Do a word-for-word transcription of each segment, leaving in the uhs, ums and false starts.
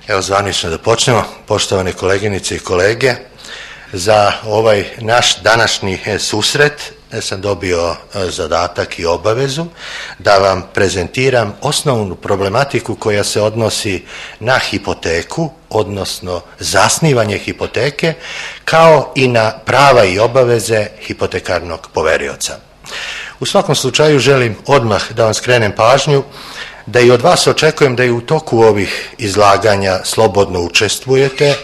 Evo zvanično da počnemo. Poštovane koleginice i kolege, za ovaj naš današnji susret sam dobio zadatak i obavezu da vam prezentiram osnovnu problematiku koja se odnosi na hipoteku, odnosno zasnivanje hipoteke, kao i na prava i obaveze hipotekarnog poverioca. U svakom slučaju želim odmah da vam skrenem pažnju da i od vas očekujem da i u toku ovih izlaganja slobodno učestvujete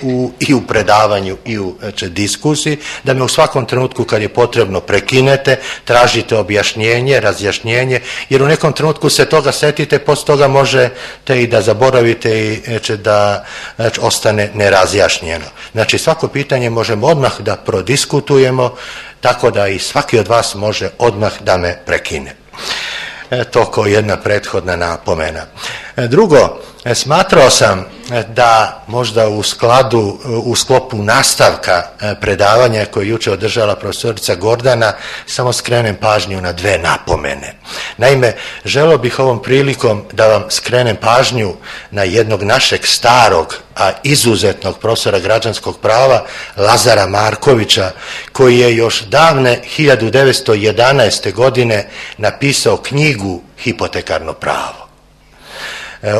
u, i u predavanju i u diskusiji, da me u svakom trenutku kad je potrebno prekinete, tražite objašnjenje, razjašnjenje, jer u nekom trenutku se toga setite, poslije toga možete i da zaboravite i da ostane nerazjašnjeno. Znači svako pitanje možemo odmah da prodiskutujemo, tako da i svaki od vas može odmah da me prekine. To kao jedna prethodna napomena. Drugo, smatrao sam da možda u skladu, u sklopu nastavka predavanja koje je jučer održala profesorica Gordana, samo skrenem pažnju na dve napomene. Naime, želio bih ovom prilikom da vam skrenem pažnju na jednog našeg starog, a izuzetnog profesora građanskog prava, Lazara Markovića, koji je još davne hiljadu devetsto jedanaeste. godine napisao knjigu Hipotekarno pravo.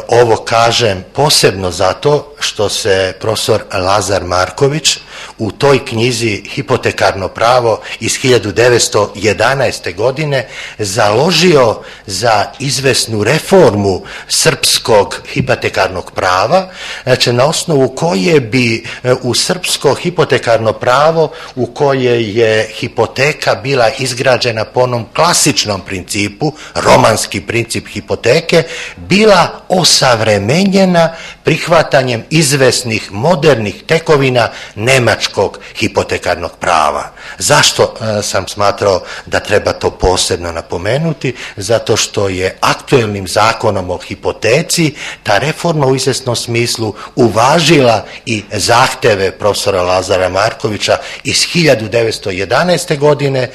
Ovo kažem posebno zato što se profesor Lazar Marković u toj knjizi Hipotekarno pravo iz hiljadu devetsto jedanaeste. godine založio za izvesnu reformu srpskog hipotekarnog prava, znači na osnovu koje bi u srpsko hipotekarno pravo u koje je hipoteka bila izgrađena po onom klasičnom principu, romanski princip hipoteke, bila osavremenjena prihvatanjem izvesnih modernih tekovina nemačkog hipotekarnog prava. Zašto sam smatrao da treba to posebno napomenuti? Zato što je aktuelnim zakonom o hipoteci ta reforma u izvesnom smislu uvažila i zahteve profesora Lazara Markovića iz hiljadu devetsto jedanaeste. godine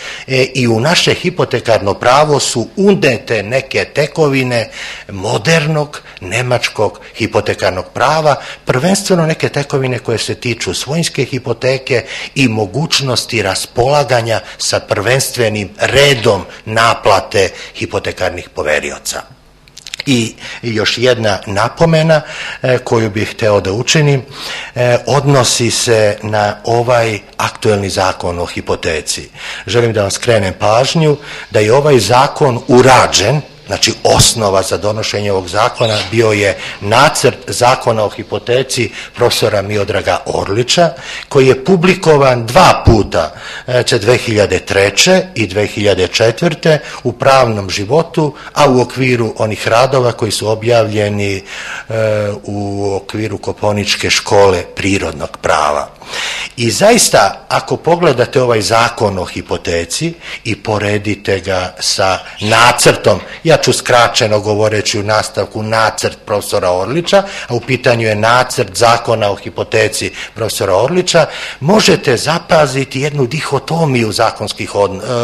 i u naše hipotekarno pravo su unete neke tekovine modernog nemačkog hipotekarnog prava, prvenstveno neke tekovine koje se tiču svojinske hipoteke i mogućnosti raspolaganja sa prvenstvenim redom naplate hipotekarnih poverioca. I još jedna napomena koju bih hteo da učinim odnosi se na ovaj aktuelni zakon o hipoteci. Želim da vam skrenem pažnju da je ovaj zakon urađen, znači osnova za donošenje ovog zakona bio je nacrt zakona o hipoteci profesora Miodraga Orlića, koji je publikovan dva puta, dve hiljade treće. i dve hiljade četvrte. u Pravnom životu, a u okviru onih radova koji su objavljeni u okviru Kopaoničke škole prirodnog prava. I zaista, ako pogledate ovaj zakon o hipoteci i poredite ga sa nacrtom, ja ću skraćeno govoreći u nastavku nacrt profesora Orlića, a u pitanju je nacrt zakona o hipoteci profesora Orlića, možete zapaziti jednu dihotomiju zakonskih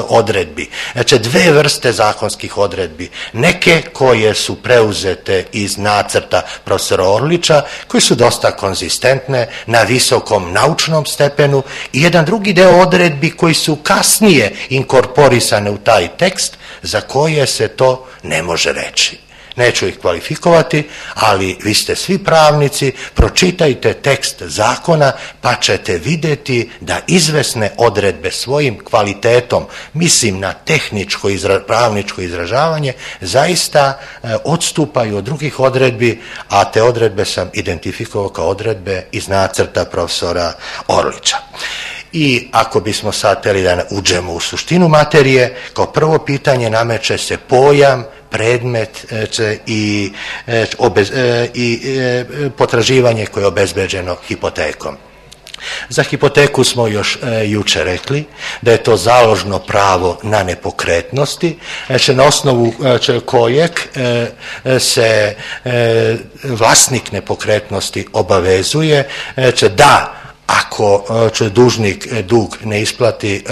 odredbi. Znači, dve vrste zakonskih odredbi. Neke koje su preuzete iz nacrta profesora Orlića, koji su dosta konzistentne, na visokom naučnom stepenu, i jedan drugi deo odredbi koji su kasnije inkorporisane u taj tekst, za koje se to ne može reći. Neću ih kvalifikovati, ali vi ste svi pravnici, pročitajte tekst zakona pa ćete vidjeti da izvesne odredbe svojim kvalitetom, mislim na tehničko izra, pravničko izražavanje, zaista e, odstupaju od drugih odredbi, a te odredbe sam identifikovao kao odredbe iz nacrta profesora Orlića. I ako bismo sad htjeli da uđemo u suštinu materije, kao prvo pitanje nameće se pojam, predmet i, i potraživanje koje je obezbeđeno hipotekom. Za hipoteku smo još e, juče rekli da je to založno pravo na nepokretnosti, znači na osnovu e, kojeg e, se e, vlasnik nepokretnosti obavezuje e, da ako će dužnik dug ne isplati,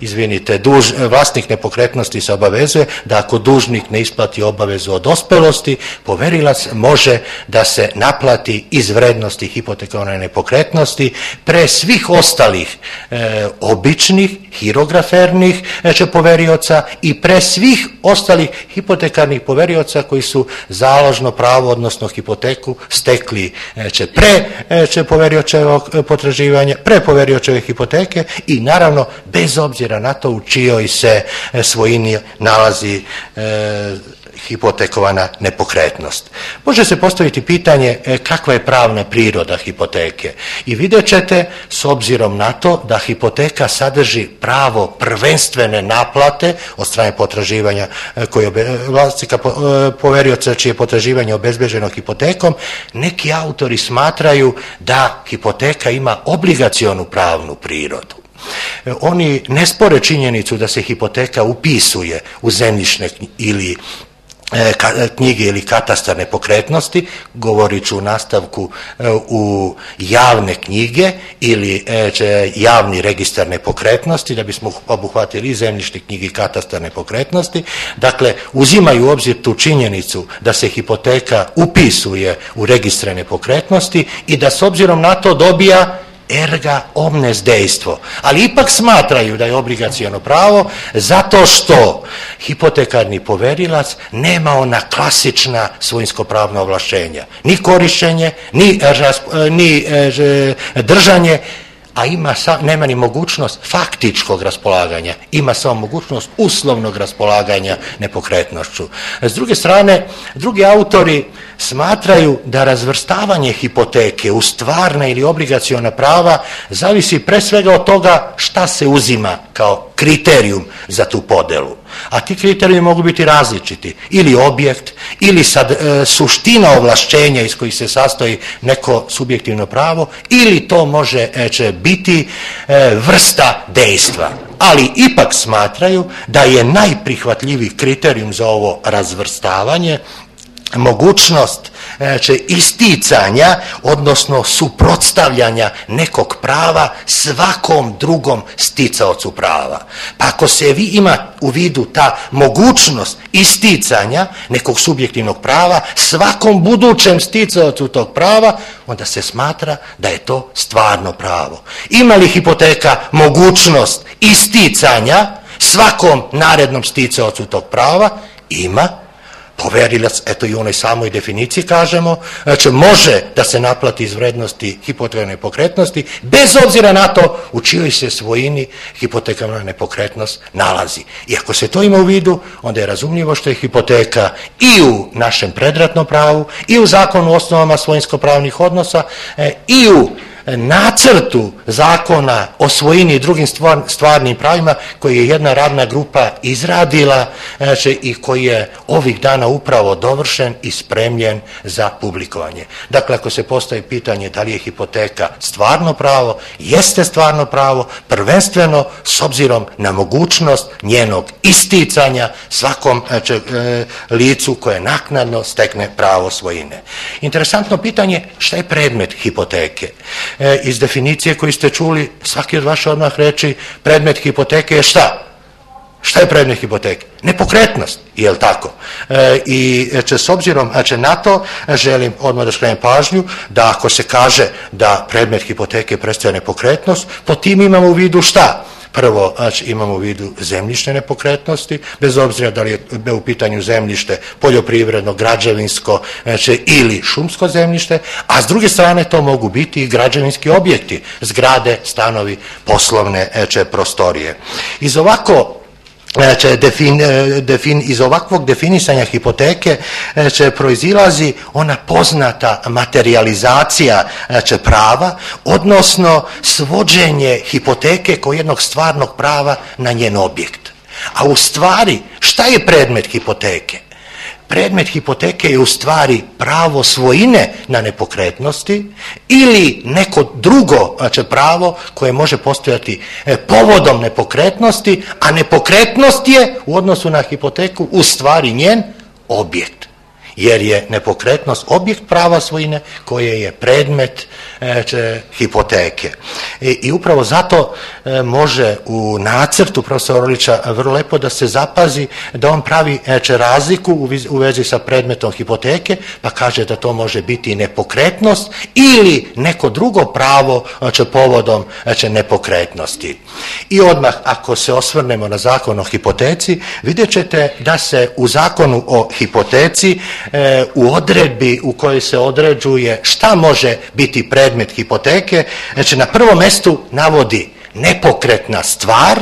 izvinite, duž, vlasnik nepokretnosti se obavezuje da ako dužnik ne isplati obavezu od dospelosti, poverilac može da se naplati iz vrednosti hipotekovane nepokretnosti pre svih ostalih e, običnih, hirografernih e, poverioca i pre svih ostalih hipotekarnih poverioca koji su založno pravo, odnosno hipoteku, stekli e, će pre e, poveriočevog potraživanja, pre poveriočeve hipoteke i naravno bez obzira na to u čijoj se e, svojini nalazi e, hipotekovana nepokretnost. Može se postaviti pitanje e, kakva je pravna priroda hipoteke i vidjet ćete s obzirom na to da hipoteka sadrži pravo prvenstvene naplate od strane potraživanja e, koje vlasnika po, e, poverioca čije potraživanje obezbeđeno hipotekom, neki autori smatraju da hipoteka ima obligacionu pravnu prirodu. Oni ne spore činjenicu da se hipoteka upisuje u zemljišne ili knjige ili katastar nepokretnosti, govorit ću u nastavku u javne knjige ili javni registar nepokretnosti, da bismo obuhvatili i zemljišne knjige i katastar nepokretnosti. Dakle, uzimaju u obzir tu činjenicu da se hipoteka upisuje u registre nepokretnosti i da s obzirom na to dobija erga omnes dejstvo, ali ipak smatraju da je obligaciono pravo zato što hipotekarni poverilac nema ona klasična svojinsko-pravna ovlašćenja, ni korištenje, ni, ni držanje, a ima, nema ni mogućnost faktičkog raspolaganja, ima samo mogućnost uslovnog raspolaganja nepokretnošću. S druge strane, drugi autori smatraju da razvrstavanje hipoteke u stvarna ili obligaciona prava zavisi pre svega od toga šta se uzima kao kriterijum za tu podelu. A ti kriteriji mogu biti različiti, ili objekt, ili sad, e, suština ovlašćenja iz kojih se sastoji neko subjektivno pravo, ili to može e, će biti e, vrsta dejstva. Ali ipak smatraju da je najprihvatljiviji kriterijum za ovo razvrstavanje mogućnost znači, isticanja, odnosno suprotstavljanja nekog prava svakom drugom sticaocu prava. Pa ako se vi ima u vidu ta mogućnost isticanja nekog subjektivnog prava svakom budućem sticaocu tog prava, onda se smatra da je to stvarno pravo. Ima li hipoteka mogućnost isticanja svakom narednom sticaocu tog prava? Ima. Poverilac, eto i u onoj samoj definiciji kažemo, znači može da se naplati iz vrednosti hipotekovane nepokretnosti, bez obzira na to u čijoj se svojini hipotekovana nepokretnost nalazi. I ako se to ima u vidu, onda je razumljivo što je hipoteka i u našem predratnom pravu, i u zakonu o osnovama svojinsko-pravnih odnosa, i u nacrtu zakona o svojini i drugim stvar, stvarnim pravima koji je jedna radna grupa izradila znači, i koji je ovih dana upravo dovršen i spremljen za publikovanje. Dakle, ako se postavi pitanje da li je hipoteka stvarno pravo, jeste stvarno pravo, prvenstveno s obzirom na mogućnost njenog isticanja svakom znači, licu koje naknadno stekne pravo svojine. Interesantno pitanje, šta je predmet hipoteke? E, iz definicije koju ste čuli, svaki od vaša odmah reći, predmet hipoteke je šta? Šta je predmet hipoteke? Nepokretnost, je li tako? E, I će, s obzirom znači, na to želim odmah da skrenem pažnju da ako se kaže da predmet hipoteke predstavlja nepokretnost, po tim imamo u vidu šta? Prvo, znači, imamo u vidu zemljišne nepokretnosti, bez obzira da li je u pitanju zemljište poljoprivredno, građevinsko znači, ili šumsko zemljište, a s druge strane to mogu biti i građevinski objekti, zgrade, stanovi, poslovne znači, prostorije. Iz ovako Znači, defin, defin, iz ovakvog definisanja hipoteke znači, proizilazi ona poznata materializacija znači, prava, odnosno svođenje hipoteke kao jednog stvarnog prava na njen objekt. A u stvari, šta je predmet hipoteke? Predmet hipoteke je u stvari pravo svojine na nepokretnosti ili neko drugo znači, pravo koje može postojati povodom nepokretnosti, a nepokretnost je u odnosu na hipoteku u stvari njen objekt. jer je nepokretnost objekt prava svojine koje je predmet e, hipoteke. I, i upravo zato e, može u nacrtu profesora Orlića vrlo lepo da se zapazi da on pravi e, razliku u, u vezi sa predmetom hipoteke, pa kaže da to može biti nepokretnost ili neko drugo pravo e, povodom e, nepokretnosti. I odmah ako se osvrnemo na zakon o hipoteci, vidjet ćete da se u zakonu o hipoteci e, u odredbi u kojoj se određuje šta može biti predmet hipoteke, znači na prvom mjestu navodi nepokretna stvar,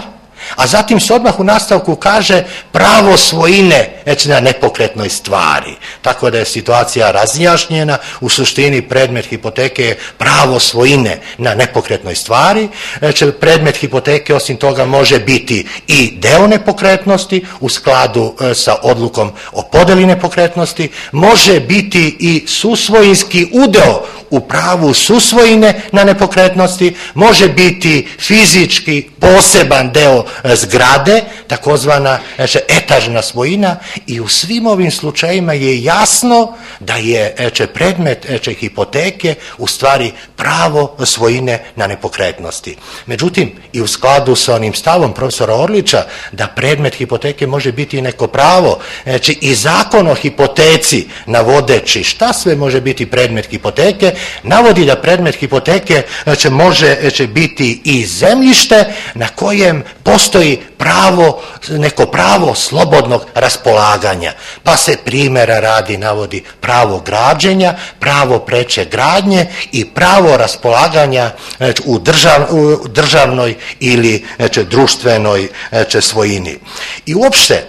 a zatim se odmah u nastavku kaže pravo svojine znači na nepokretnoj stvari. Tako da je situacija razjašnjena, u suštini predmet hipoteke je pravo svojine na nepokretnoj stvari. Znači predmet hipoteke osim toga može biti i deo nepokretnosti u skladu sa odlukom o podjeli nepokretnosti, može biti i susvojinski udeo u pravu susvojine na nepokretnosti, može biti fizički poseban deo zgrade, takozvana znači, etažna svojina, i u svim ovim slučajima je jasno da je znači, predmet znači, hipoteke u stvari pravo svojine na nepokretnosti. Međutim, i u skladu sa onim stavom profesora Orlića da predmet hipoteke može biti neko pravo, znači i zakon o hipoteci navodeći šta sve može biti predmet hipoteke, navodi da predmet hipoteke znači, može znači, biti i zemljište na kojem postoji pravo, neko pravo slobodnog raspolaganja. Pa se primjera radi navodi pravo građenja, pravo preče gradnje i pravo raspolaganja znači, u, držav, u državnoj ili znači, društvenoj znači, svojini. I uopšte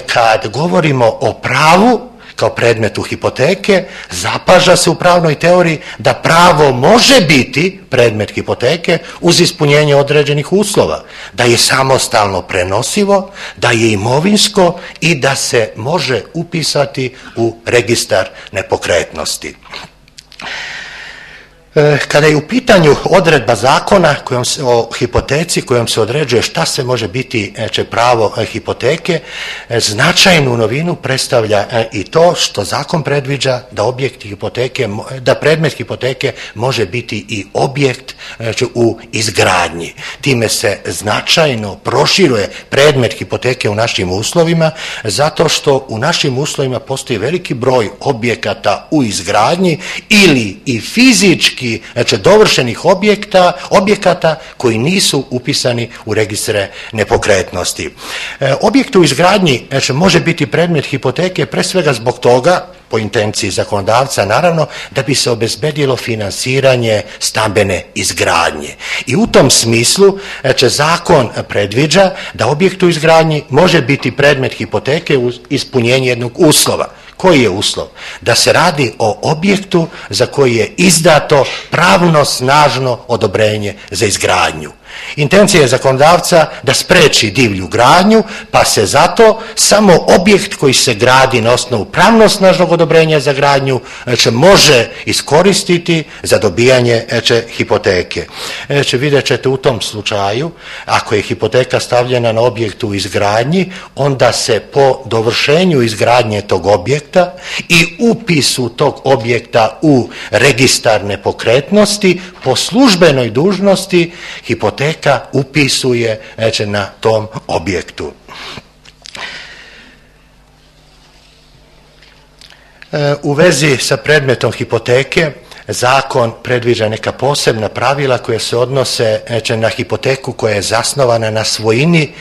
kad govorimo o pravu kao predmetu hipoteke, zapaža se u pravnoj teoriji da pravo može biti predmet hipoteke uz ispunjenje određenih uslova, da je samostalno prenosivo, da je imovinsko i da se može upisati u registar nepokretnosti. Kada je u pitanju odredba zakona kojom se, o hipoteci kojom se određuje šta se može biti će, pravo hipoteke, značajnu novinu predstavlja i to što zakon predviđa da objekt hipoteke, da predmet hipoteke može biti i objekt će, u izgradnji. Time se značajno proširuje predmet hipoteke u našim uslovima, zato što u našim uslovima postoji veliki broj objekata u izgradnji ili i fizički znači dovršenih objekta, objekata koji nisu upisani u registre nepokretnosti. E, objekt u izgradnji znači, može biti predmet hipoteke pre svega zbog toga, po intenciji zakonodavca naravno, da bi se obezbedilo finansiranje stambene izgradnje. I u tom smislu znači, zakon predviđa da objekt u izgradnji može biti predmet hipoteke uz ispunjenje jednog uslova. Koji je uslov? Da se radi o objektu za koji je izdato pravno snažno odobrenje za izgradnju. Intencija je zakonodavca da spreči divlju gradnju, pa se zato samo objekt koji se gradi na osnovu pravno snažnog odobrenja za gradnju će može iskoristiti za dobijanje će, hipoteke. Će, vidjet ćete u tom slučaju, ako je hipoteka stavljena na objektu u izgradnji, onda se po dovršenju izgradnje tog objekta i upisu tog objekta u registar nepokretnosti po službenoj dužnosti hipoteka upisuje znači, na tom objektu. U vezi sa predmetom hipoteke, zakon predviđa neka posebna pravila koja se odnose znači, na hipoteku koja je zasnovana na svojini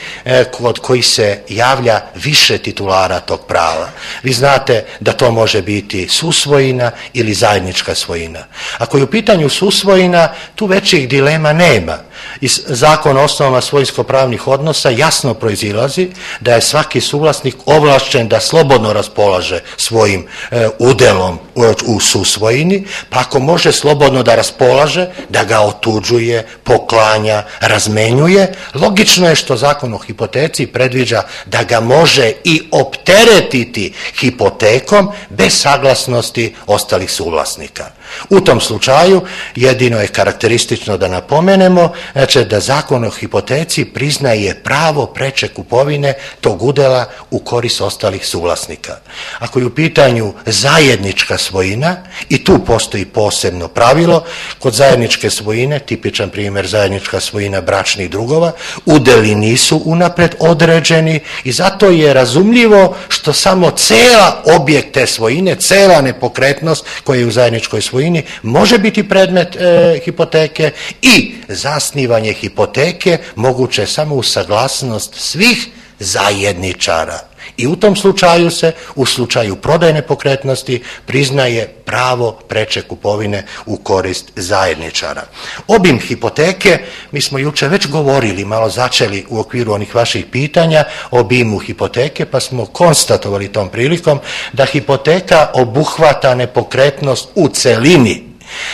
kod koji se javlja više titulara tog prava. Vi znate da to može biti susvojina ili zajednička svojina. Ako je u pitanju susvojina, tu većih dilema nema. Iz zakona o osnovama svojinsko-pravnih odnosa jasno proizilazi da je svaki suvlasnik ovlašćen da slobodno raspolaže svojim e, udelom u, u susvojini, pa ako može slobodno da raspolaže, da ga otuđuje, poklanja, razmenjuje, logično je što zakon o hipoteci predviđa da ga može i opteretiti hipotekom bez saglasnosti ostalih suvlasnika. U tom slučaju jedino je karakteristično da napomenemo znači, da Zakon o hipoteci priznaje pravo preče kupovine tog udjela u korist ostalih suvlasnika. Ako je u pitanju zajednička svojina, i tu postoji posebno pravilo, kod zajedničke svojine, tipičan primjer zajednička svojina bračnih drugova, udjeli nisu unaprijed određeni i zato je razumljivo što samo cela objekt te svojine, cela nepokretnost koja je u zajedničkoj svojini može biti predmet e, hipoteke i zasnivanje hipoteke moguće samo uz saglasnost svih zajedničara. I u tom slučaju se, u slučaju prodaje nepokretnosti, priznaje pravo preče kupovine u korist zajedničara. Obim hipoteke, mi smo juče već govorili, malo začeli u okviru onih vaših pitanja, o obimu hipoteke, pa smo konstatovali tom prilikom da hipoteka obuhvata nepokretnost u celini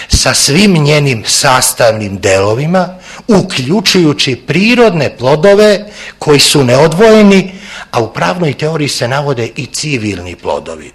sa svim njenim sastavnim delovima, uključujući prirodne plodove koji su neodvojeni, a u pravnoj teoriji se navode i civilni plodovi.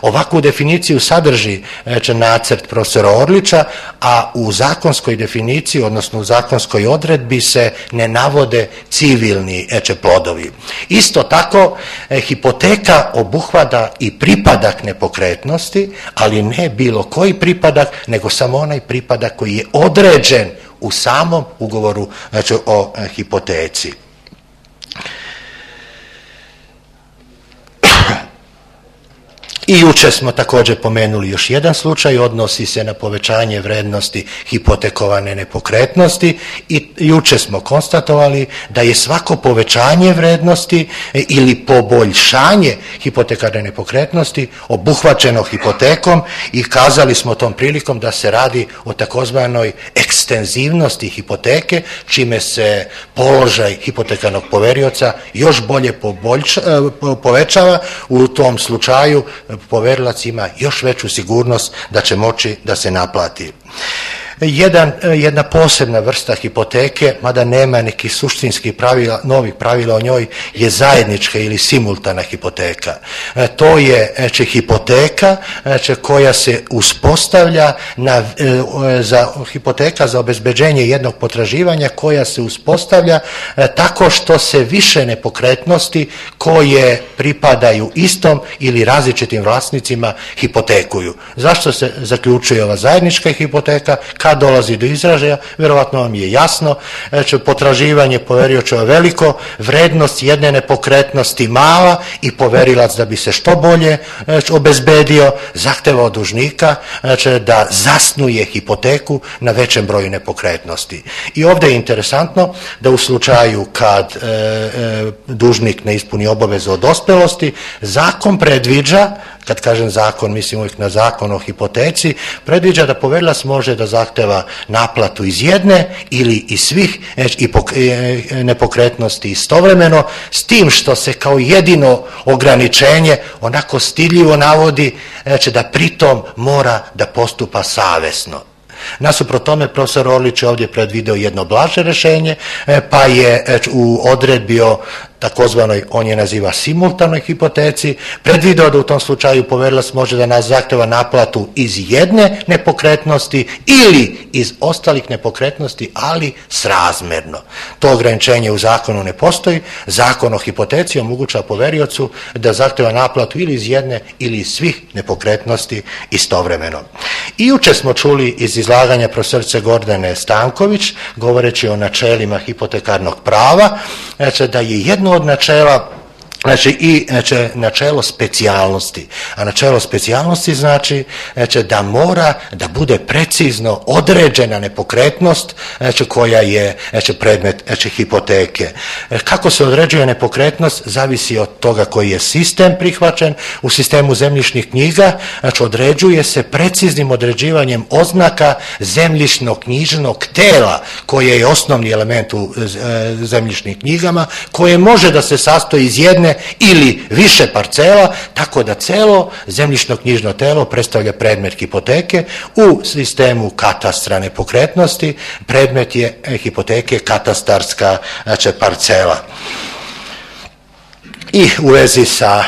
Ovakvu definiciju sadrži znači, nacrt profesora Orlića, a u zakonskoj definiciji, odnosno u zakonskoj odredbi se ne navode civilni znači, plodovi. Isto tako, eh, hipoteka obuhvata i pripadak nepokretnosti, ali ne bilo koji pripadak, nego samo onaj pripadak koji je određen u samom ugovoru znači, o eh, hipoteci. I juče smo također pomenuli još jedan slučaj, odnosi se na povećanje vrednosti hipotekovane nepokretnosti i juče smo konstatovali da je svako povećanje vrednosti ili poboljšanje hipotekarne nepokretnosti obuhvaćeno hipotekom i kazali smo tom prilikom da se radi o takozvanoj ekstenzivnosti hipoteke, čime se položaj hipotekarnog poverioca još bolje poboljša, povećava. U tom slučaju poverilac ima još veću sigurnost da će moći da se naplati. Jedan, jedna posebna vrsta hipoteke, mada nema nekih suštinskih pravila, novih pravila o njoj, je zajednička ili simultana hipoteka. E, to je znači, hipoteka znači, koja se uspostavlja na, e, za hipoteka za obezbeđenje jednog potraživanja koja se uspostavlja e, tako što se više nepokretnosti koje pripadaju istom ili različitim vlasnicima hipotekuju. Zašto se zaključuje ova zajednička hipoteka? Kad dolazi do izražaja, vjerovatno vam je jasno, znači, potraživanje poveriočeva veliko, vrednost jedne nepokretnosti mala i poverilac da bi se što bolje znači, obezbedio, zahteva od dužnika znači, da zasnuje hipoteku na većem broju nepokretnosti. I ovdje je interesantno da u slučaju kad e, e, dužnik ne ispuni obavezu od dospelosti, zakon predviđa, kad kažem zakon, mislim uvijek na zakon o hipoteci, predviđa da poverilac može da zahteva naplatu iz jedne ili iz svih nepokretnosti istovremeno, s tim što se kao jedino ograničenje onako stidljivo navodi znači da pritom mora da postupa savjesno. Nasuprot tome, profesor Orlić je ovdje predvideo jedno blaže rješenje, pa je u odredbi o takozvanoj, on je naziva simultanoj hipoteci, predvideo da u tom slučaju poverilac može da nas zahteva naplatu iz jedne nepokretnosti ili iz ostalih nepokretnosti, ali srazmjerno. To ograničenje u zakonu ne postoji. Zakon o hipoteci omogućava poveriocu da zahteva naplatu ili iz jedne ili iz svih nepokretnosti istovremeno. I juče smo čuli iz izlaganja profesorice Gordane Stanković, govoreći o načelima hipotekarnog prava, znači da je jedno od načela znači i znači, načelo specijalnosti. A načelo specijalnosti znači, znači da mora da bude precizno određena nepokretnost znači, koja je znači, predmet znači, hipoteke. Kako se određuje nepokretnost zavisi od toga koji je sistem prihvaćen. U sistemu zemljišnih knjiga znači, određuje se preciznim određivanjem oznaka zemljišnog knjižnog tela koje je osnovni element u zemljišnim knjigama, koje može da se sastoji iz jedne ili više parcela, tako da celo zemljišno-knjižno telo predstavlja predmet hipoteke. U sistemu katastra nepokretnosti predmet je hipoteke katastarska znači, parcela. I u vezi sa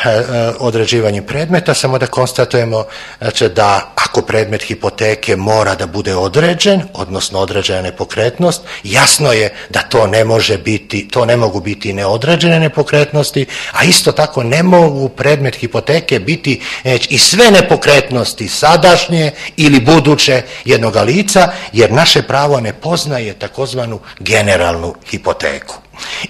određivanjem predmeta samo da konstatujemo znači, da ako predmet hipoteke mora da bude određen, odnosno određena nepokretnost, jasno je da to ne može biti, to ne mogu biti neodređene nepokretnosti, a isto tako ne mogu predmet hipoteke biti znači, i sve nepokretnosti sadašnje ili buduće jednoga lica, jer naše pravo ne poznaje takozvanu generalnu hipoteku.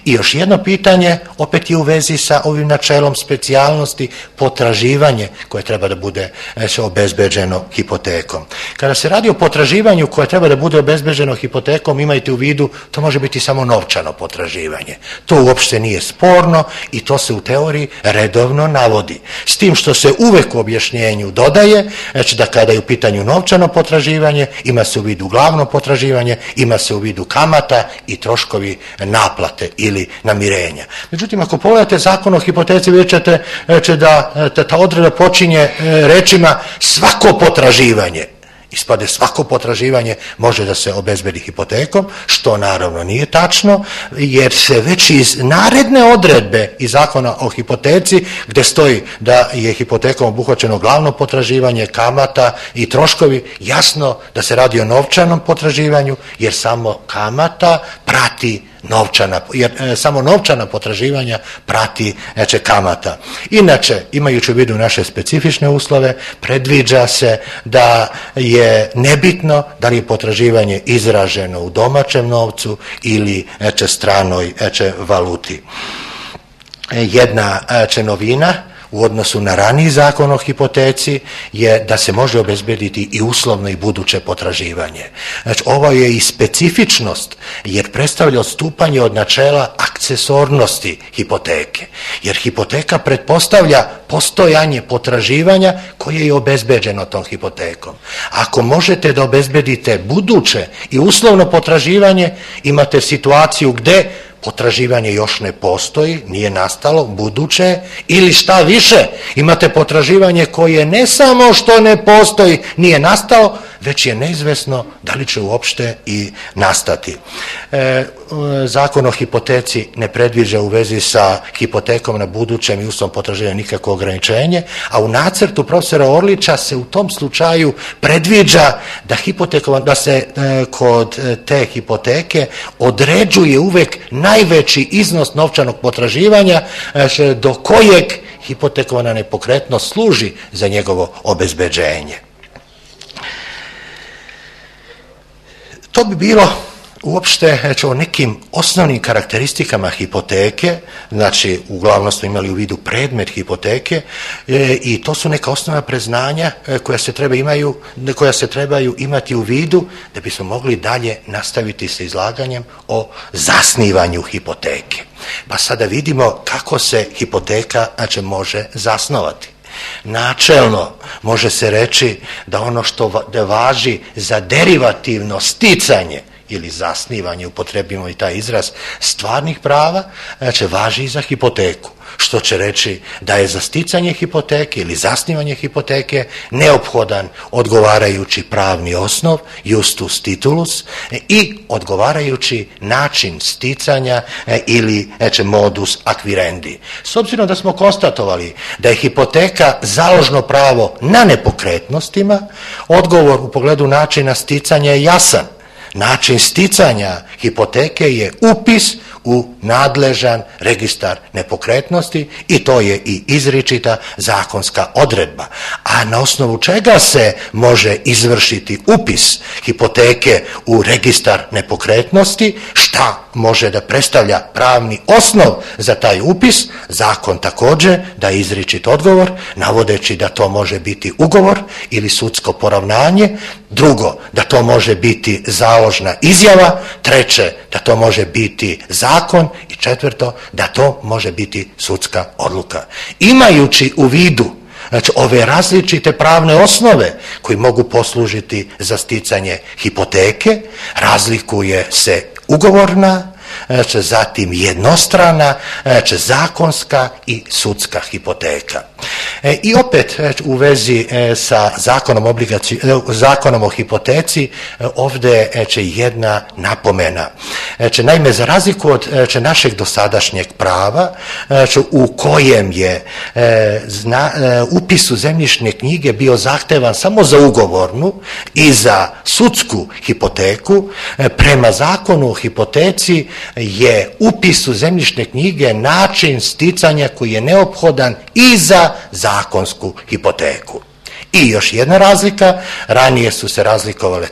I još jedno pitanje, opet je u vezi sa ovim načelom specijalnosti, potraživanje koje treba da bude znači, obezbeđeno hipotekom. Kada se radi o potraživanju koje treba da bude obezbeđeno hipotekom, imajte u vidu, to može biti samo novčano potraživanje. To uopšte nije sporno i to se u teoriji redovno navodi. S tim što se uvek u objašnjenju dodaje, znači da kada je u pitanju novčano potraživanje, ima se u vidu glavno potraživanje, ima se u vidu kamata i troškovi naplate ili namirenja. Međutim, ako pogledate zakon o hipoteci, vidjet ćete da ta odredba počinje rečima svako potraživanje. Ispade svako potraživanje može da se obezbedi hipotekom, što naravno nije tačno, jer se već iz naredne odredbe iz zakona o hipoteci, gde stoji da je hipotekom obuhvaćeno glavno potraživanje, kamata i troškovi, jasno da se radi o novčanom potraživanju, jer samo kamata prati novčana, jer e, samo novčana potraživanja prati znači, kamata. Inače, imajući u vidu naše specifične uslove, predviđa se da je nebitno da li je potraživanje izraženo u domaćem novcu ili znači, stranoj znači, valuti. Jedna znači, novina u odnosu na raniji zakon o hipoteci je da se može obezbediti i uslovno i buduće potraživanje. Znači, ovo je i specifičnost jer predstavlja odstupanje od načela akcesornosti hipoteke. Jer hipoteka pretpostavlja postojanje potraživanja koje je obezbeđeno tom hipotekom. Ako možete da obezbedite buduće i uslovno potraživanje, imate situaciju gde potraživanje još ne postoji, nije nastalo, buduće, ili šta više, imate potraživanje koje ne samo što ne postoji, nije nastalo, već je neizvesno da li će uopšte i nastati. E, zakon o hipoteci ne predviđa u vezi sa hipotekom na budućem i uslovnom potraživanju nikakvo ograničenje, a u nacrtu profesora Orlića se u tom slučaju predviđa da, da se e, kod te hipoteke određuje uvek najveći iznos novčanog potraživanja e, do kojeg hipotekovana nepokretnost služi za njegovo obezbeđenje. To bi bilo uopšte znači, o nekim osnovnim karakteristikama hipoteke, znači uglavnom smo imali u vidu predmet hipoteke e, i to su neka osnovna preznanja e, koja, se treba imaju, koja se trebaju imati u vidu da bismo mogli dalje nastaviti sa izlaganjem o zasnivanju hipoteke. Pa sada vidimo kako se hipoteka znači, može zasnovati. Načelno može se reći da ono što važi za derivativno sticanje ili zasnivanje, upotrebimo i taj izraz, stvarnih prava, znači važi i za hipoteku. Što će reći da je za sticanje hipoteke ili zasnivanje hipoteke neophodan odgovarajući pravni osnov, justus titulus, i odgovarajući način sticanja ili znači, modus acquirendi. S obzirom da smo konstatovali da je hipoteka založno pravo na nepokretnostima, odgovor u pogledu načina sticanja je jasan. Način sticanja hipoteke je upis u nadležan registar nepokretnosti i to je i izričita zakonska odredba. A na osnovu čega se može izvršiti upis hipoteke u registar nepokretnosti, šta može da predstavlja pravni osnov za taj upis, zakon također da izričit odgovor, navodeći da to može biti ugovor ili sudsko poravnanje, drugo, da to može biti založna izjava, treće, da to može biti zakon i četvrto, da to može biti sudska odluka. Imajući u vidu znači, ove različite pravne osnove koji mogu poslužiti za sticanje hipoteke, razlikuje se ugovorna, zatim jednostrana, zakonska i sudska hipoteka. I opet u vezi sa zakonom, obligaci, zakonom o hipoteci ovdje je jedna napomena. Naime, za razliku od našeg dosadašnjeg prava u kojem je upis u zemljišne knjige bio zahtevan samo za ugovornu i za sudsku hipoteku, prema zakonu o hipoteci je upis u zemljišne knjige način sticanja koji je neophodan i za zakonsku hipoteku. I još jedna razlika, ranije su se razlikovale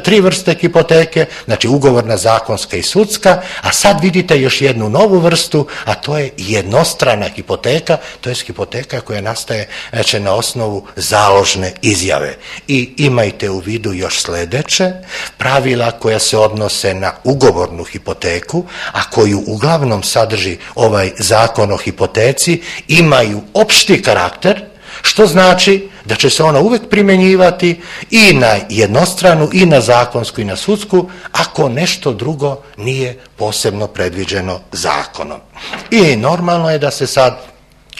tri vrste hipoteke, znači ugovorna, zakonska i sudska, a sad vidite još jednu novu vrstu, a to je jednostrana hipoteka, to je hipoteka koja nastaje znači, na osnovu založne izjave. I imajte u vidu još sljedeće, pravila koja se odnose na ugovornu hipoteku, a koju uglavnom sadrži ovaj zakon o hipoteci, imaju opšti karakter, što znači da će se ona uvijek primjenjivati i na jednostranu, i na zakonsku, i na sudsku, ako nešto drugo nije posebno predviđeno zakonom. I normalno je da se sad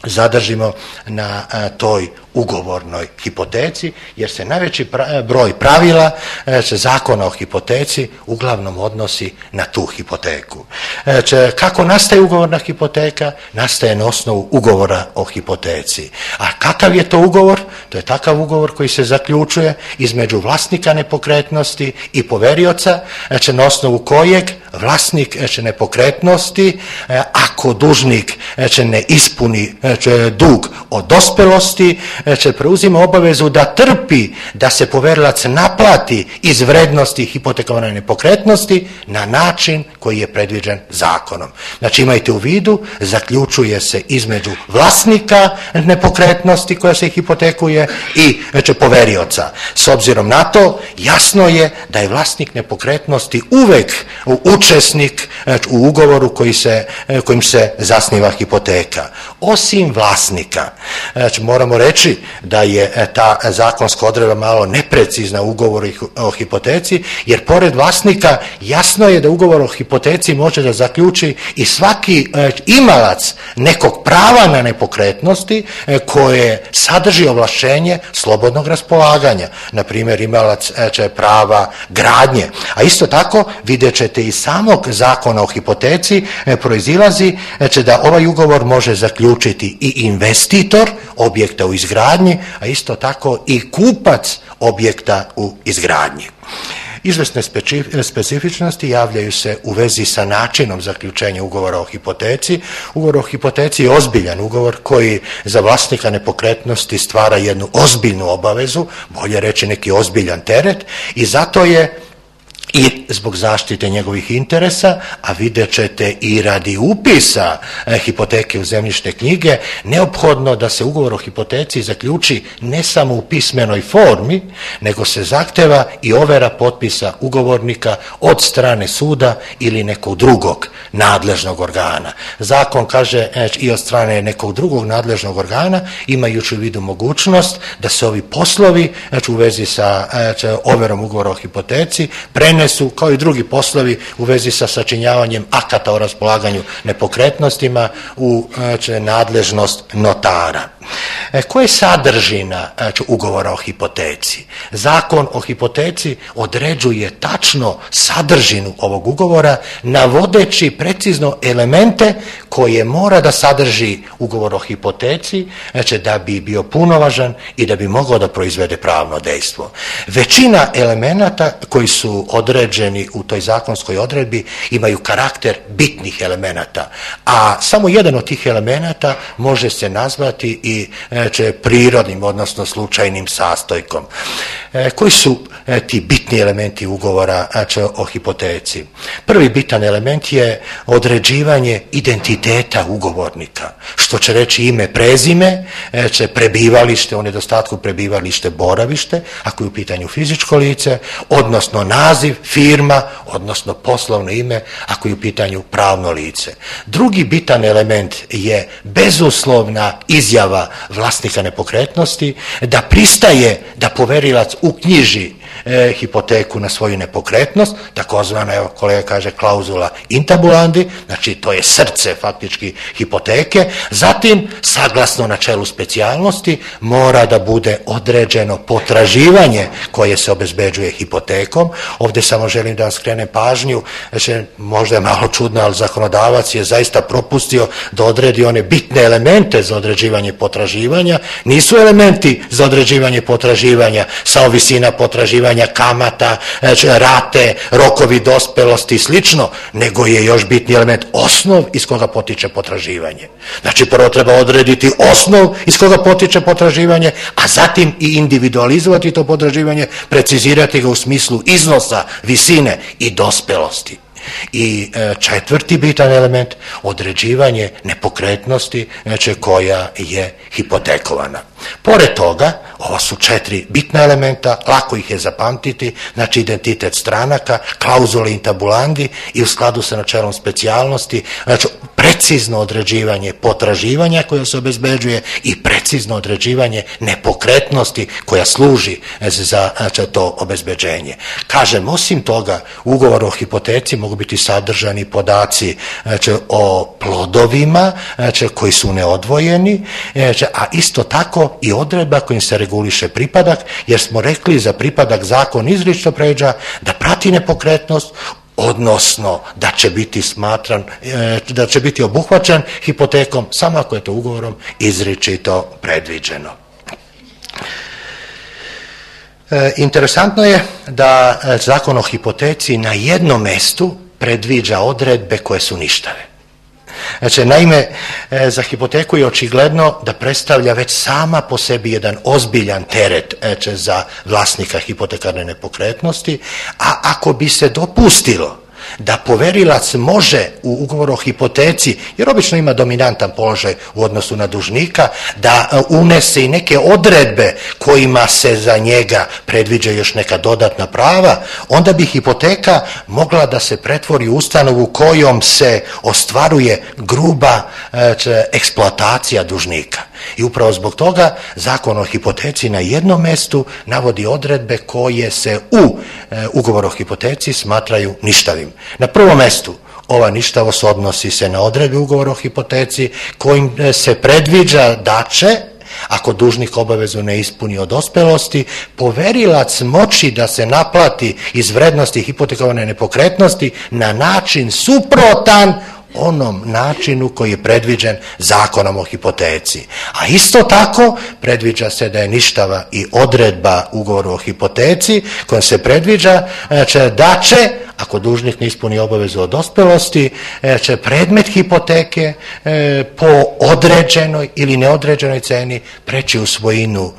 zadržimo na a, toj ugovornoj hipoteci, jer se najveći pra, broj pravila e, zakona o hipoteci uglavnom odnosi na tu hipoteku. E, če, kako nastaje ugovorna hipoteka? Nastaje na osnovu ugovora o hipoteci. A kakav je to ugovor? To je takav ugovor koji se zaključuje između vlasnika nepokretnosti i poverioca, e, na osnovu kojeg vlasnik e, nepokretnosti, e, ako dužnik e, ne ispuni e, dug od dospelosti, će preuzima obavezu da trpi da se poverilac naplati iz vrednosti hipotekovane nepokretnosti na način koji je predviđen zakonom. Znači imajte u vidu, zaključuje se između vlasnika nepokretnosti koja se hipotekuje i znači, poverioca. S obzirom na to, jasno je da je vlasnik nepokretnosti uvek učesnik znači, u ugovoru koji se, kojim se zasniva hipoteka. Osim vlasnika, znači, moramo reći da je ta zakonska odredba malo neprecizna u ugovoru o hipoteci, jer pored vlasnika jasno je da ugovor o hipoteci može da zaključi i svaki imalac nekog prava na nepokretnosti koje sadrži ovlašćenje slobodnog raspolaganja. Na primjer, imalac prava gradnje. A isto tako vidjet ćete iz samog zakona o hipoteci proizilazi da ovaj ugovor može zaključiti i investitor objekta u izgradnji, a isto tako i kupac objekta u izgradnji. Izvesne specifičnosti javljaju se u vezi sa načinom zaključenja ugovora o hipoteci. Ugovor o hipoteci je ozbiljan ugovor koji za vlasnika nepokretnosti stvara jednu ozbiljnu obavezu, bolje reći neki ozbiljan teret, i zato je i zbog zaštite njegovih interesa, a vidjet ćete i radi upisa e, hipoteke u zemljišne knjige, neophodno da se ugovor o hipoteci zaključi ne samo u pismenoj formi, nego se zahteva i overa potpisa ugovornika od strane suda ili nekog drugog nadležnog organa. Zakon kaže e, i od strane nekog drugog nadležnog organa, imajući u vidu mogućnost da se ovi poslovi e, u vezi sa e, overom ugovora o hipoteci prene su kao i drugi poslovi u vezi sa sačinjavanjem akata o raspolaganju nepokretnostima u znači, nadležnost notara. E, koja je sadržina znači, ugovora o hipoteci? Zakon o hipoteci određuje tačno sadržinu ovog ugovora, navodeći precizno elemente koje mora da sadrži ugovor o hipoteci, znači, da bi bio punovažan i da bi mogao da proizvede pravno dejstvo. Većina elemenata koji su određeni u toj zakonskoj odredbi imaju karakter bitnih elemenata, a samo jedan od tih elemenata može se nazvati i znači, prirodnim, odnosno slučajnim sastojkom. E, koji su e, ti bitni elementi ugovora znači, o hipoteci? Prvi bitan element je određivanje identiteta ugovornika, što će reći ime, prezime, e, će prebivalište, u nedostatku prebivalište, boravište, ako je u pitanju fizičko lice, odnosno naziv, firma, odnosno poslovno ime, ako je u pitanju pravno lice. Drugi bitan element je bezuslovna izjava vlasnika nepokretnosti da pristaje da poverilac uknjiži e, hipoteku na svoju nepokretnost, takozvana, evo kolega kaže, klauzula intabulandi, znači to je srce faktički hipoteke. Zatim, saglasno načelu specijalnosti, mora da bude određeno potraživanje koje se obezbeđuje hipotekom. Ovdje samo želim da vam skrenem pažnju, znači, možda je malo čudno, ali zakonodavac je zaista propustio da odredi one bitne elemente za određivanje potraživanja. Nisu elementi za određivanje potraživanja samo visina potraživanja, kamata, znači, rate, rokovi dospelosti i slično, nego je još bitni element osnov iz koga potiče potraživanje. Znači prvo treba odrediti osnov iz koga potiče potraživanje, a zatim i individualizovati to potraživanje, precizirati ga u smislu iznosa, visine i dospelosti. I četvrti bitan element, određivanje nepokretnosti, znači, koja je hipotekovana. Pored toga, ovo su četiri bitna elementa, lako ih je zapamtiti, znači identitet stranaka, klauzule intabulandi i u skladu sa načelom specijalnosti, znači precizno određivanje potraživanja koja se obezbeđuje i precizno određivanje nepokretnosti koja služi za, znači, to obezbeđenje. Kažem, osim toga, u ugovoru o hipoteci mogu biti sadržani podaci, znači, o plodovima, znači, koji su neodvojeni, znači, a isto tako i odredba kojim se reguliše pripadak, jer smo rekli za pripadak zakon izričito predviđa da prati nepokretnost, odnosno da će biti smatran, da će biti obuhvaćen hipotekom samo ako je to ugovorom izričito predviđeno. E, interesantno je da zakon o hipoteci na jednom mestu predviđa odredbe koje su ništave. Znači, naime, za hipoteku je očigledno da predstavlja već sama po sebi jedan ozbiljan teret, znači, za vlasnika hipotekarne nepokretnosti, a ako bi se dopustilo da poverilac može u ugovoru o hipoteci, jer obično ima dominantan položaj u odnosu na dužnika, da unese i neke odredbe kojima se za njega predviđa još neka dodatna prava, onda bi hipoteka mogla da se pretvori u ustanovu kojom se ostvaruje gruba e, eksploatacija dužnika. I upravo zbog toga zakon o hipoteci na jednom mestu navodi odredbe koje se u e, ugovoru o hipoteci smatraju ništavim. Na prvom mestu ova ništavost odnosi se na odredbe ugovora o hipoteci kojim se predviđa da će, ako dužnik obavezu ne ispuni od dospelosti, poverilac moći da se naplati iz vrednosti hipotekovane nepokretnosti na način suprotan onom načinu koji je predviđen zakonom o hipoteci. A isto tako predviđa se da je ništava i odredba ugovora o hipoteci kojom se predviđa da će, ako dužnik ne ispuni obavezu od dospelosti, će predmet hipoteke po određenoj ili neodređenoj ceni preći u svojinu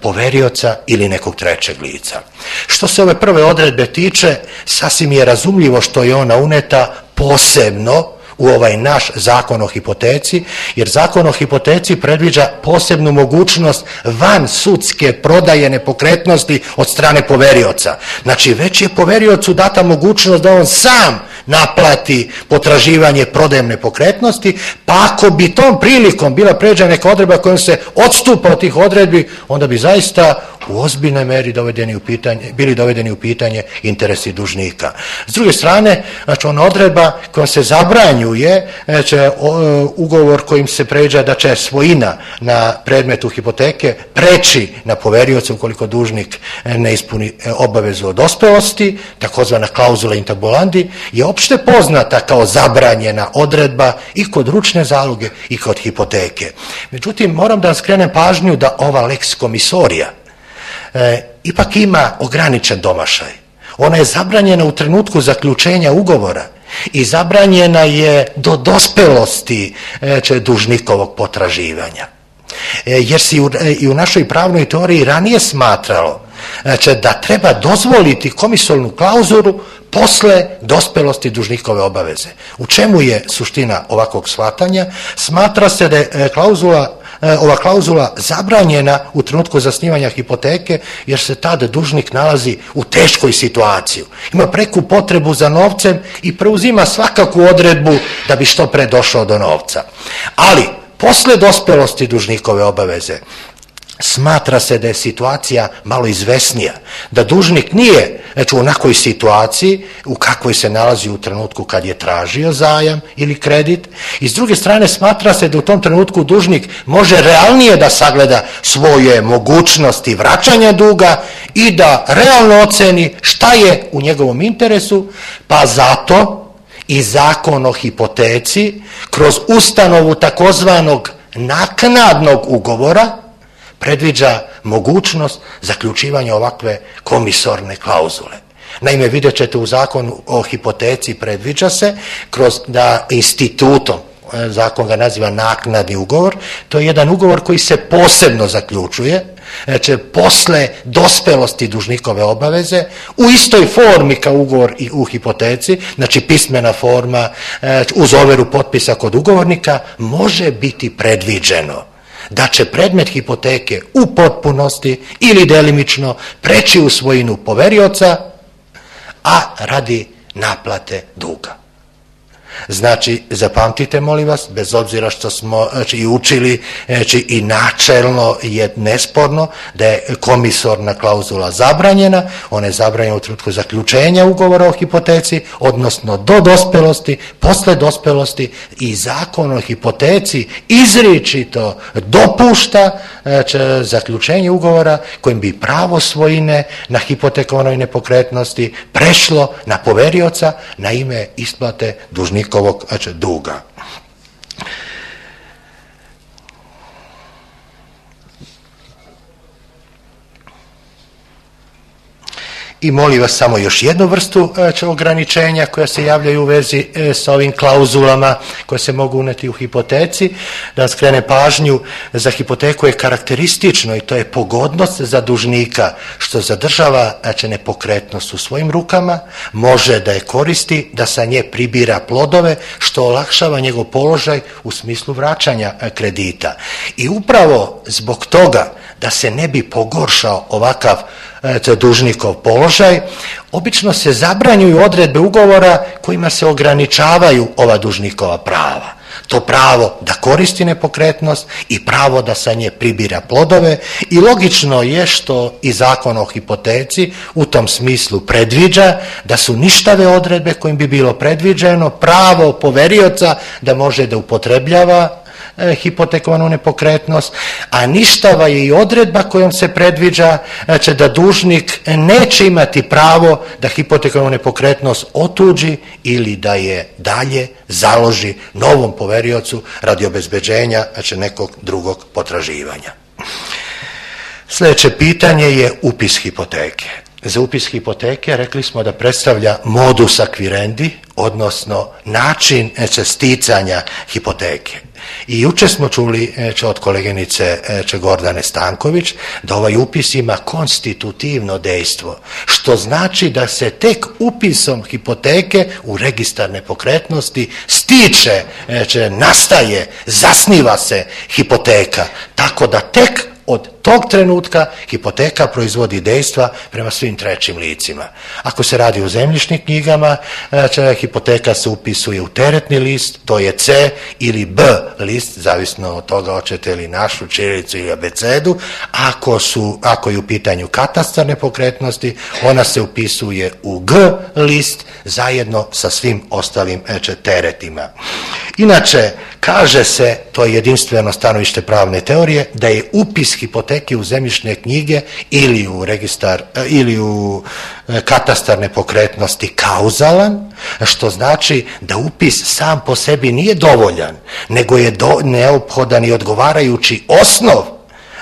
poverioca ili nekog trećeg lica. Što se ove prve odredbe tiče, sasvim je razumljivo što je ona uneta posebno u ovaj naš zakon o hipoteci, jer zakon o hipoteci predviđa posebnu mogućnost van sudske prodaje nepokretnosti od strane poverioca. Znači, već je poveriocu data mogućnost da on sam naplati potraživanje prodajem nepokretnosti, pa ako bi tom prilikom bila pređena neka odredba kojom se odstupa od tih odredbi, onda bi zaista u ozbiljnoj meri dovedeni u pitanje, bili dovedeni u pitanje interesi dužnika. S druge strane, znači, ona odredba kojom se zabranjuje, znači, ugovor kojim se pređa da će svojina na predmetu hipoteke preći na poverioca ukoliko dužnik ne ispuni obavezu od dospelosti, takozvana klauzula intabulandi, je opšte poznata kao zabranjena odredba i kod ručne zaloge i kod hipoteke. Međutim, moram da vam skrenem pažnju da ova lex komisorija E, ipak ima ograničen domašaj. Ona je zabranjena u trenutku zaključenja ugovora i zabranjena je do dospelosti e, dužnikovog potraživanja. E, jer se i u, e, i u našoj pravnoj teoriji ranije smatralo znači, da treba dozvoliti komisolnu klauzulu posle dospelosti dužnikove obaveze. U čemu je suština ovakvog shvatanja? Smatra se da je klauzula ova klauzula zabranjena u trenutku zasnivanja hipoteke, jer se tada dužnik nalazi u teškoj situaciji. Ima preku potrebu za novcem i preuzima svakakvu odredbu da bi što pre došao do novca. Ali, posle dospelosti dužnikove obaveze, smatra se da je situacija malo izvesnija, da dužnik nije znači, u onakvoj situaciji u kakvoj se nalazi u trenutku kad je tražio zajam ili kredit, i s druge strane smatra se da u tom trenutku dužnik može realnije da sagleda svoje mogućnosti vraćanja duga i da realno oceni šta je u njegovom interesu, pa zato i Zakon o hipoteci kroz ustanovu takozvanog naknadnog ugovora predviđa mogućnost zaključivanja ovakve komisorne klauzule. Naime, vidjet ćete u Zakonu o hipoteci predviđa se kroz da institutom, zakon ga naziva naknadni ugovor, to je jedan ugovor koji se posebno zaključuje, znači posle dospelosti dužnikove obaveze, u istoj formi kao ugovor i u hipoteci, znači pismena forma uz overu potpisa kod ugovornika, može biti predviđeno da će predmet hipoteke u potpunosti ili delimično preći u svojinu poverioca, a radi naplate duga. Znači, zapamtite molim vas, bez obzira što smo znači, i učili znači, i načelno je nesporno da je komisorna klauzula zabranjena, ona je zabranjena u trenutku zaključenja ugovora o hipoteci, odnosno do dospelosti, posle dospelosti, i Zakon o hipoteci izričito dopušta znači, zaključenje ugovora kojim bi pravo svojine na hipotekovanoj nepokretnosti prešlo na poverioca na ime isplate dužnika ovog znači, duga. I molim vas samo još jednu vrstu znači, ograničenja koja se javljaju u vezi e, sa ovim klauzulama koje se mogu uneti u hipoteci. Da vam skrene pažnju, za hipoteku je karakteristično i to je pogodnost za dužnika što zadržava znači, nepokretnost u svojim rukama, može da je koristi, da sa nje pribira plodove, što olakšava njegov položaj u smislu vraćanja kredita. I upravo zbog toga da se ne bi pogoršao ovakav eto, dužnikov položaj, obično se zabranjuju odredbe ugovora kojima se ograničavaju ova dužnikova prava. To pravo da koristi nepokretnost i pravo da sa nje pribira plodove, i logično je što i Zakon o hipoteci u tom smislu predviđa da su ništave odredbe kojim bi bilo predviđeno pravo poverioca da može da upotrebljava hipotekovanu nepokretnost, a ništava je i odredba kojom se predviđa znači, da dužnik neće imati pravo da hipotekovanu nepokretnost otuđi ili da je dalje založi novom poveriocu radi obezbeđenja znači, nekog drugog potraživanja. Sljedeće pitanje je upis hipoteke. Za upis hipoteke rekli smo da predstavlja modus acquirendi, odnosno način znači, sticanja hipoteke. I juče smo čuli znači, od koleginice znači, Gordane Stanković da ovaj upis ima konstitutivno dejstvo, što znači da se tek upisom hipoteke u registar nepokretnosti stiče, znači, nastaje, zasniva se hipoteka, tako da tek od tog trenutka hipoteka proizvodi dejstva prema svim trećim licima. Ako se radi o zemljišnim knjigama, znači, hipoteka se upisuje u teretni list, to je C ili B list, zavisno od toga hoćete li našu ćirilicu ili abecedu. Ako, su, ako je u pitanju katastar nepokretnosti, ona se upisuje u G list zajedno sa svim ostalim znači, teretima. Inače, kaže se, to je jedinstveno stanovište pravne teorije, da je upis hipoteke u zemljišne knjige ili u registar ili u katastar nepokretnosti kauzalan, što znači da upis sam po sebi nije dovoljan, nego je do, neophodan i odgovarajući osnov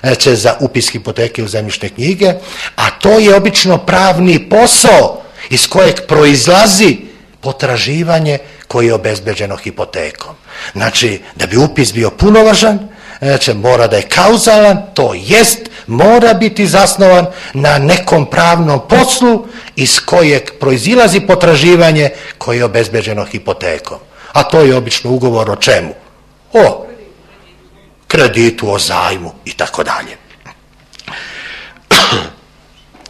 znači, za upis hipoteke u zemljišne knjige, a to je obično pravni posao iz kojeg proizlazi potraživanje koje je obezbeđeno hipotekom. Znači, da bi upis bio punovažan, znači, mora da je kauzalan, to jest mora biti zasnovan na nekom pravnom poslu iz kojeg proizilazi potraživanje koje je obezbeđeno hipotekom. A to je obično ugovor o čemu? O kreditu, o zajmu i tako dalje.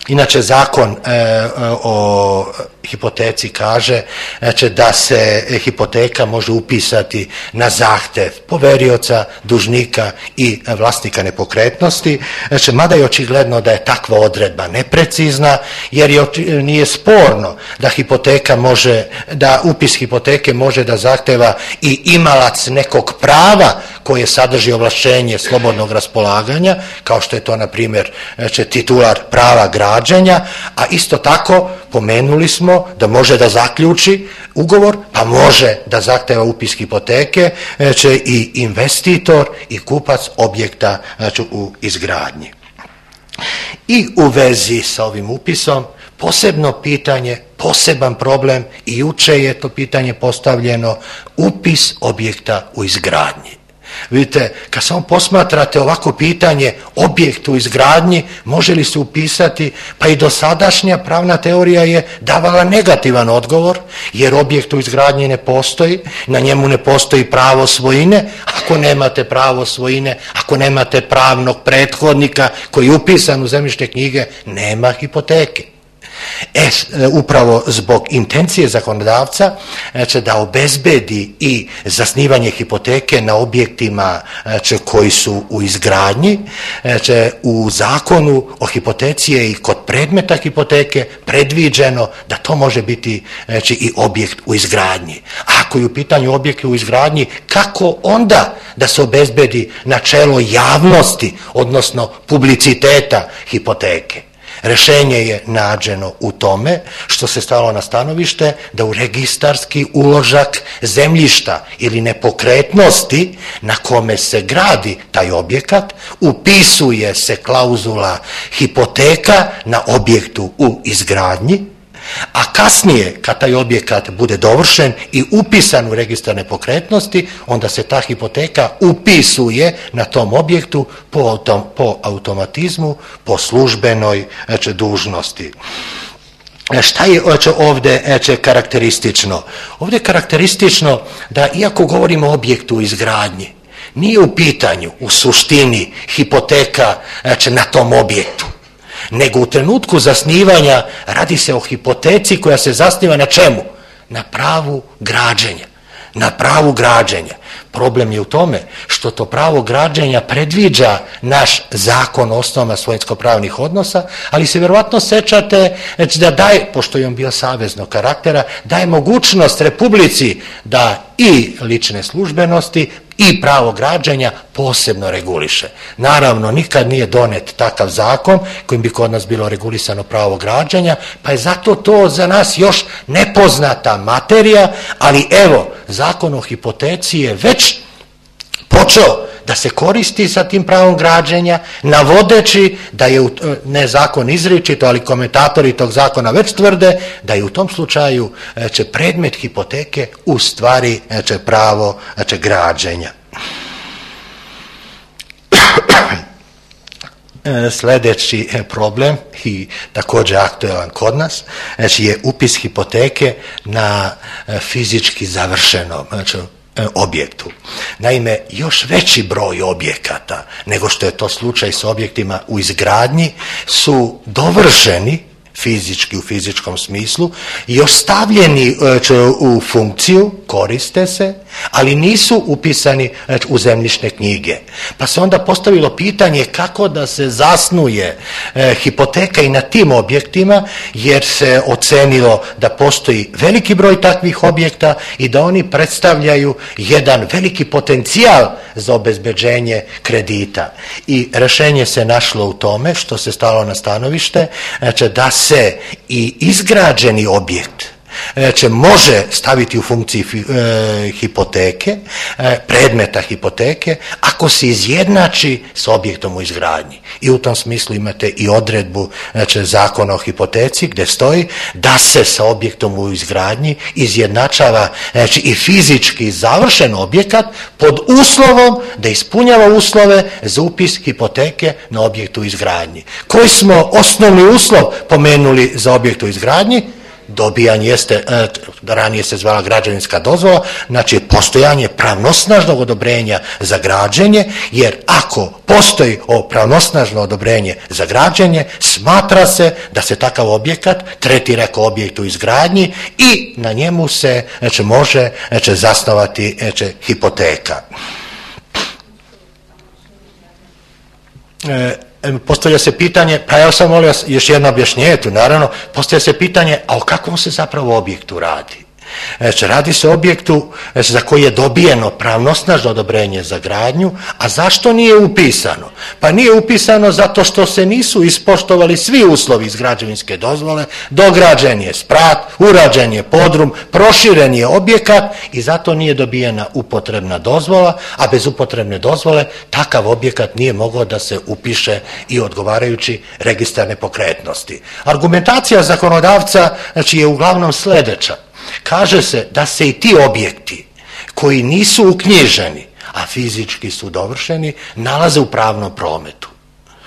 Inače, Zakon e, o hipoteci kaže znači, da se hipoteka može upisati na zahtev poverioca, dužnika i vlasnika nepokretnosti, znači, mada je očigledno da je takva odredba neprecizna, jer je, nije sporno da hipoteka može, da upis hipoteke može da zahteva i imalac nekog prava koje sadrži ovlašćenje slobodnog raspolaganja, kao što je to, na primjer, znači, titular prava građenja, a isto tako pomenuli smo da može da zaključi ugovor, pa može da zahteva upis hipoteke znači, i investitor i kupac objekta znači, u izgradnji. I u vezi sa ovim upisom posebno pitanje, poseban problem, i juče je to pitanje postavljeno, upis objekta u izgradnji. Vidite, kad samo posmatrate ovako pitanje objekt u izgradnji, može li se upisati, pa i dosadašnja pravna teorija je davala negativan odgovor, jer objekt u izgradnji ne postoji, na njemu ne postoji pravo svojine. Ako nemate pravo svojine, ako nemate pravnog prethodnika koji je upisan u zemljišne knjige, nema hipoteke. E, upravo zbog intencije zakonodavca znači, da obezbedi i zasnivanje hipoteke na objektima znači, koji su u izgradnji, znači, u zakonu o hipoteci je i kod predmeta hipoteke predviđeno da to može biti znači, i objekt u izgradnji. A ako je u pitanju objekt u izgradnji, kako onda da se obezbedi načelo javnosti, odnosno publiciteta hipoteke? Rešenje je nađeno u tome što se stalo na stanovište da u registarski uložak zemljišta ili nepokretnosti na kome se gradi taj objekat upisuje se klauzula hipoteka na objektu u izgradnji, a kasnije kad taj objekat bude dovršen i upisan u registar nepokretnosti, onda se ta hipoteka upisuje na tom objektu po, autom, po automatizmu, po službenoj znači, dužnosti. Šta je ovdje znači, karakteristično? Ovdje je karakteristično da iako govorimo o objektu u izgradnji, nije u pitanju u suštini hipoteka znači, na tom objektu, nego u trenutku zasnivanja radi se o hipoteci koja se zasniva na čemu? Na pravu građenja. Na pravu građenja. Problem je u tome što to pravo građenja predviđa naš zakon o osnovama svojinsko-pravnih odnosa, ali se vjerovatno sećate znači da daje, pošto je on bio saveznog karaktera, daje mogućnost Republici da i lične službenosti i pravo građenja posebno reguliše. Naravno, nikad nije donet takav zakon kojim bi kod nas bilo regulisano pravo građenja, pa je zato to za nas još nepoznata materija, ali evo, zakon o hipoteci je već počeo da se koristi sa tim pravom građenja, navodeći da je, ne zakon izričito, ali komentatori tog zakona već tvrde da je u tom slučaju će predmet hipoteke u stvari će pravo će građenja. Sljedeći problem i također aktualan kod nas znači je upis hipoteke na fizički završenom znači, objektu. Naime, još veći broj objekata nego što je to slučaj s objektima u izgradnji su dovršeni fizički u fizičkom smislu i još stavljeni u funkciju, koriste se, ali nisu upisani u zemljišne knjige. Pa se onda postavilo pitanje kako da se zasnuje hipoteka i na tim objektima, jer se ocenilo da postoji veliki broj takvih objekta i da oni predstavljaju jedan veliki potencijal za obezbeđenje kredita. I rešenje se našlo u tome što se stalo na stanovište, znači da se i izgrađeni objekt znači, može staviti u funkciji e, hipoteke, e, predmeta hipoteke, ako se izjednači s objektom u izgradnji. I u tom smislu imate i odredbu znači, zakona o hipoteci gdje stoji da se sa objektom u izgradnji izjednačava znači, i fizički završen objekat pod uslovom da ispunjava uslove za upis hipoteke na objektu u izgradnji. Koji smo osnovni uslov pomenuli za objekt u izgradnji? dobijanje jeste, ranije se zvala građevinska dozvola, znači postojanje pravnosnažnog odobrenja za građenje, jer ako postoji ovo pravnosnažno odobrenje za građenje, smatra se da se takav objekat tretira kao objekt u izgradnji i na njemu se znači, može znači, zasnovati znači, hipoteka. E, Postavlja se pitanje, pa ja sam molio još jedno objašnjenje tu, naravno, postavlja se pitanje, a o kakvom se zapravo objektu radi? Znači, radi se o objektu znači, za koji je dobijeno pravnosnažno odobrenje za gradnju, a zašto nije upisano? Pa nije upisano zato što se nisu ispoštovali svi uslovi iz građevinske dozvole, dograđen je sprat, urađen je podrum, proširen je objekat i zato nije dobijena upotrebna dozvola, a bez upotrebne dozvole takav objekat nije mogao da se upiše i odgovarajući registar nepokretnosti. Argumentacija zakonodavca znači, je uglavnom sljedeća. Kaže se da se i ti objekti koji nisu uknjiženi, a fizički su dovršeni, nalaze u pravnom prometu.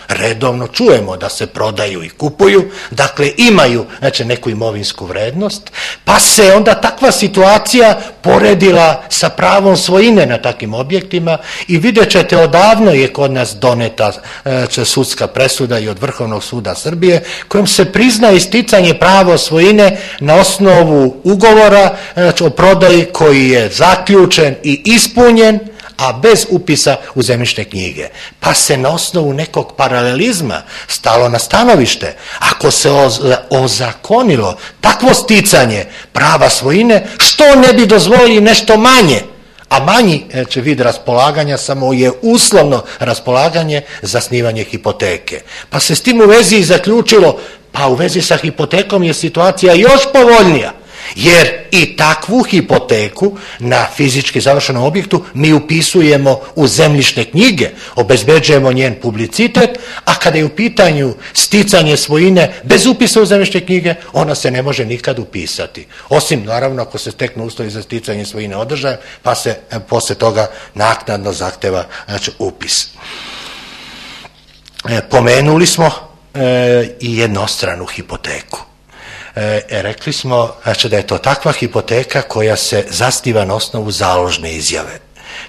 Redovno čujemo da se prodaju i kupuju, dakle imaju znači, neku imovinsku vrednost, pa se onda takva situacija poredila sa pravom svojine na takvim objektima i vidjet ćete odavno je kod nas doneta znači, sudska presuda i od Vrhovnog suda Srbije kojom se prizna isticanje prava svojine na osnovu ugovora znači, o prodaji koji je zaključen i ispunjen, a bez upisa u zemljišne knjige. Pa se na osnovu nekog paralelizma stalo na stanovište. Ako se ozakonilo takvo sticanje prava svojine, što ne bi dozvolili nešto manje? A manji znači, vid raspolaganja samo je uslovno raspolaganje zasnivanje hipoteke. Pa se s tim u vezi i zaključilo, pa u vezi sa hipotekom je situacija još povoljnija. Jer i takvu hipoteku na fizički završenom objektu mi upisujemo u zemljišne knjige, obezbeđujemo njen publicitet, a kada je u pitanju sticanje svojine bez upisa u zemljišne knjige, ona se ne može nikad upisati. Osim, naravno, ako se steknu uslovi za sticanje svojine održajem, pa se posle toga naknadno zahteva znači, upis. E, pomenuli smo e, i jednostranu hipoteku. E, rekli smo znači, da je to takva hipoteka koja se zasniva na osnovu založne izjave.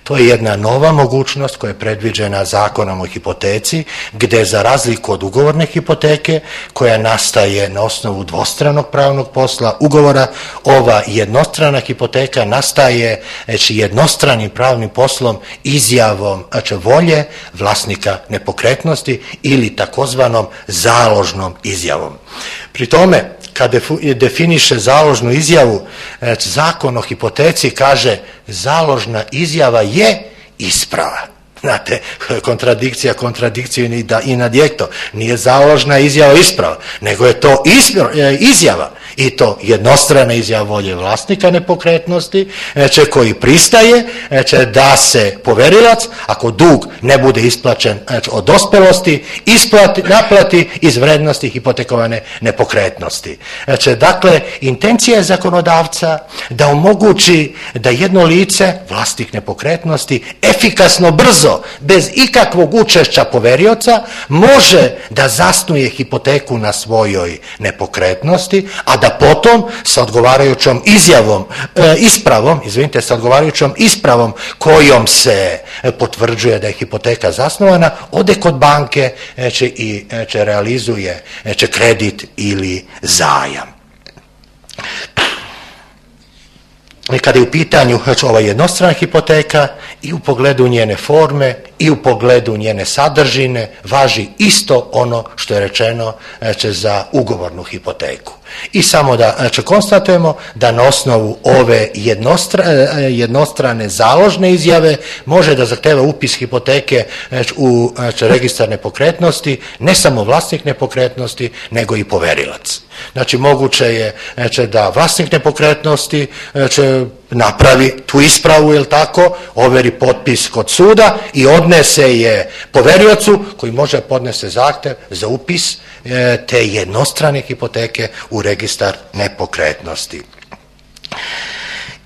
To je jedna nova mogućnost koja je predviđena zakonom o hipoteci, gdje za razliku od ugovorne hipoteke koja nastaje na osnovu dvostranog pravnog posla ugovora, ova jednostrana hipoteka nastaje znači, jednostranim pravnim poslom izjavom znači, volje vlasnika nepokretnosti ili takozvanom založnom izjavom. Pri tome, kad definiše založnu izjavu, zakon o hipoteci kaže založna izjava je isprava. Znate, kontradikcija, kontradikciju i nadjekto. Nije založna izjava isprava, nego je to izjava. I to jednostrana izjava volje vlasnika nepokretnosti, će koji pristaje će da se poverilac, ako dug ne bude isplaćen od dospelosti, isplati, naplati iz vrednosti hipotekovane nepokretnosti. Znači, dakle, intencija je zakonodavca da omogući da jedno lice, vlasnik nepokretnosti, efikasno, brzo, bez ikakvog učešća poverioca, može da zasnuje hipoteku na svojoj nepokretnosti, a da potom sa odgovarajućom izjavom, e, ispravom, izvinite, sa odgovarajućom ispravom kojom se potvrđuje da je hipoteka zasnovana, ode kod banke će i će realizuje će kredit ili zajam. I kada je u pitanju znači, ova jednostrana hipoteka i u pogledu njene forme i u pogledu njene sadržine važi isto ono što je rečeno znači, za ugovornu hipoteku. I samo da znači, konstatujemo da na osnovu ove jednostra, jednostrane založne izjave može da zahteva upis hipoteke znači, u znači, registar nepokretnosti, ne samo vlasnik nepokretnosti, nego i poverilac. Znači, moguće je znači, da vlasnik nepokretnosti znači, napravi tu ispravu, ili tako, overi potpis kod suda i odnese je poveriocu koji može podnese zahtev za upis e, te jednostrane hipoteke u registar nepokretnosti.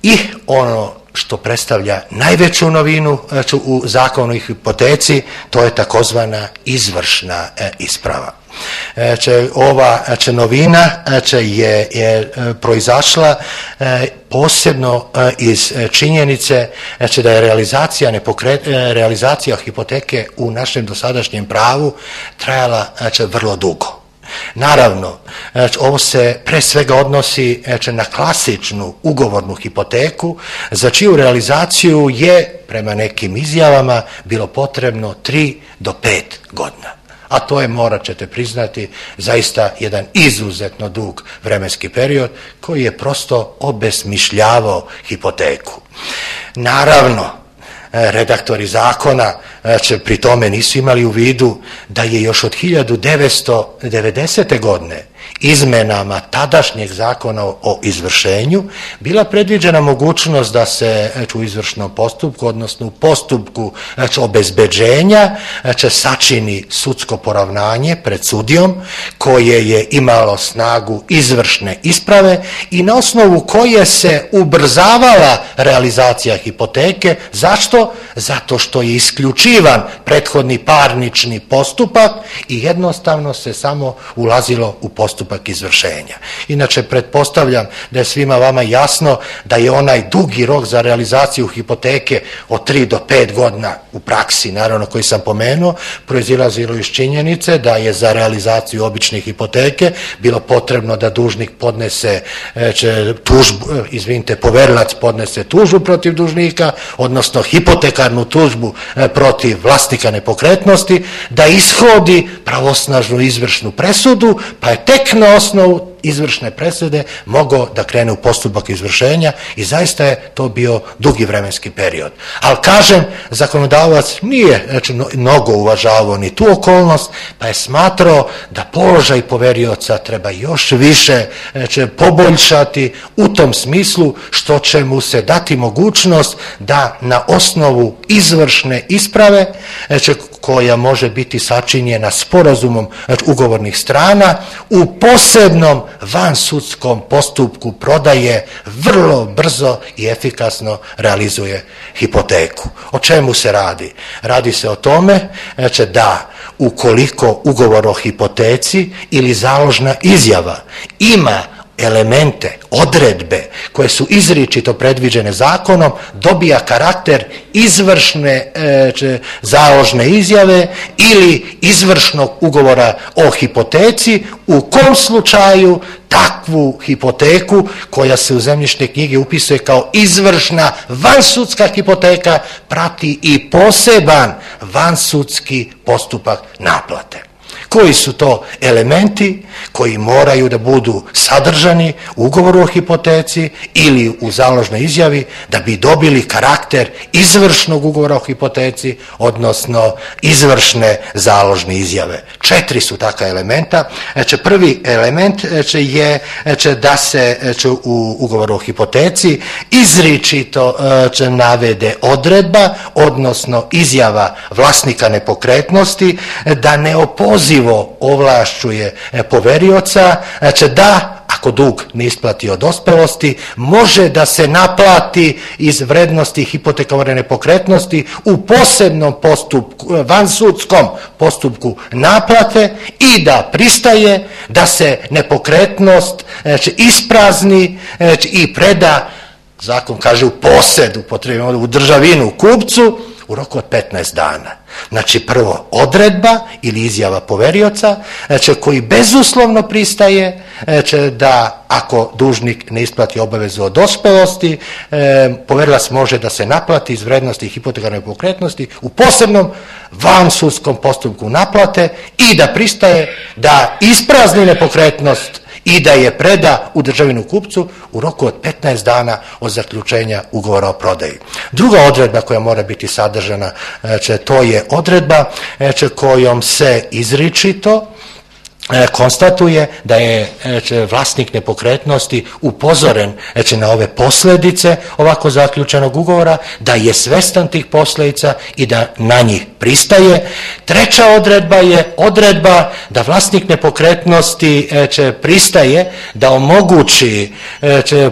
I ono što predstavlja najveću novinu znači, u zakonu o hipoteci, to je takozvana izvršna e, isprava. Če ova če novina če je, je proizašla posebno iz činjenice če da je realizacija, nepokret, realizacija hipoteke u našem dosadašnjem pravu trajala če vrlo dugo. Naravno, ovo se pre svega odnosi na klasičnu ugovornu hipoteku za čiju realizaciju je prema nekim izjavama bilo potrebno tri do pet godina. A to je, morat ćete priznati, zaista jedan izuzetno dug vremenski period koji je prosto obesmišljavao hipoteku. Naravno, redaktori zakona će pri tome nisu imali u vidu da je još od hiljadu devetsto devedesete. godine izmenama tadašnjeg zakona o izvršenju bila predviđena mogućnost da se u izvršnom postupku, odnosno u postupku obezbeđenja, sačini sudsko poravnanje pred sudijom koje je imalo snagu izvršne isprave i na osnovu koje se ubrzavala realizacija hipoteke. Zašto? Zato što je isključivan prethodni parnični postupak i jednostavno se samo ulazilo u postupak izvršenja. Inače, pretpostavljam da je svima vama jasno da je onaj dugi rok za realizaciju hipoteke od tri do pet godina u praksi, naravno koji sam pomenuo, proizilazilo iz činjenice da je za realizaciju obične hipoteke bilo potrebno da dužnik podnese tužbu, izvinite, poverilac podnese tužbu protiv dužnika, odnosno hipotekarnu tužbu protiv vlasnika nepokretnosti, da ishodi pravosnažnu izvršnu presudu, pa je tek na osnovu izvršne presude mogao da krene u postupak izvršenja i zaista je to bio dugi vremenski period. Ali kažem, zakonodavac nije znači, mnogo uvažavao ni tu okolnost, pa je smatrao da položaj poverioca treba još više znači, poboljšati u tom smislu što će mu se dati mogućnost da na osnovu izvršne isprave znači, koja može biti sačinjena sporazumom znači, ugovornih strana u posebnom vansudskom postupku prodaje vrlo brzo i efikasno realizuje hipoteku. O čemu se radi? Radi se o tome znači, da ukoliko ugovor o hipoteci ili založna izjava ima elemente, odredbe koje su izričito predviđene zakonom, dobija karakter izvršne e, založne izjave ili izvršnog ugovora o hipoteci, u kom slučaju takvu hipoteku koja se u zemljišne knjige upisuje kao izvršna vansudska hipoteka prati i poseban vansudski postupak naplate. Koji su to elementi koji moraju da budu sadržani u ugovoru o hipoteci ili u založnoj izjavi da bi dobili karakter izvršnog ugovora o hipoteci, odnosno izvršne založne izjave. Četiri su takva elementa. Znači, prvi element znači, je znači, da se znači, u ugovoru o hipoteci izričito znači, navede odredba, odnosno izjava vlasnika nepokretnosti da neopozivo ovlašćuje poverioca, znači da ako dug ne isplati od dospelosti, može da se naplati iz vrednosti hipotekovane nepokretnosti u posebnom postupku, vansudskom postupku naplate i da pristaje da se nepokretnost znači, isprazni znači, i preda, zakon kaže u posed, upotrebimo u državinu kupcu, u roku od petnaest dana. Znači prvo odredba ili izjava poverioca znači, koji bezuslovno pristaje znači, da ako dužnik ne isplati obavezu od dospelosti, e, poverilac može da se naplati iz vrednosti hipotekarne nepokretnosti u posebnom vansudskom postupku naplate i da pristaje da isprazni nepokretnost i da je preda u državinu kupcu u roku od petnaest dana od zaključenja ugovora o prodaji. Druga odredba koja mora biti sadržana, to je odredba kojom se izričito konstatuje da je vlasnik nepokretnosti upozoren na ove posljedice ovako zaključenog ugovora, da je svestan tih posljedica i da na njih pristaje. Treća odredba je odredba da vlasnik nepokretnosti pristaje da omogući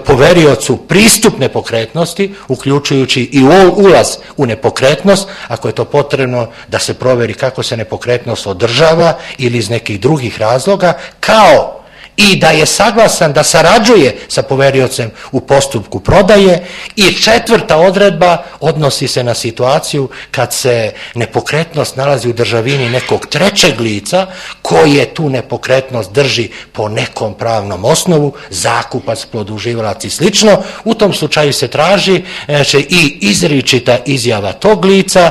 poveriocu pristup nepokretnosti, uključujući i ulaz u nepokretnost, ako je to potrebno da se proveri kako se nepokretnost održava ili iz nekih drugih razloga, kao i da je saglasan da sarađuje sa poveriocem u postupku prodaje. I četvrta odredba odnosi se na situaciju kad se nepokretnost nalazi u državini nekog trećeg lica koje tu nepokretnost drži po nekom pravnom osnovu, zakupac, produživalac i slično. U tom slučaju se traži i izričita izjava tog lica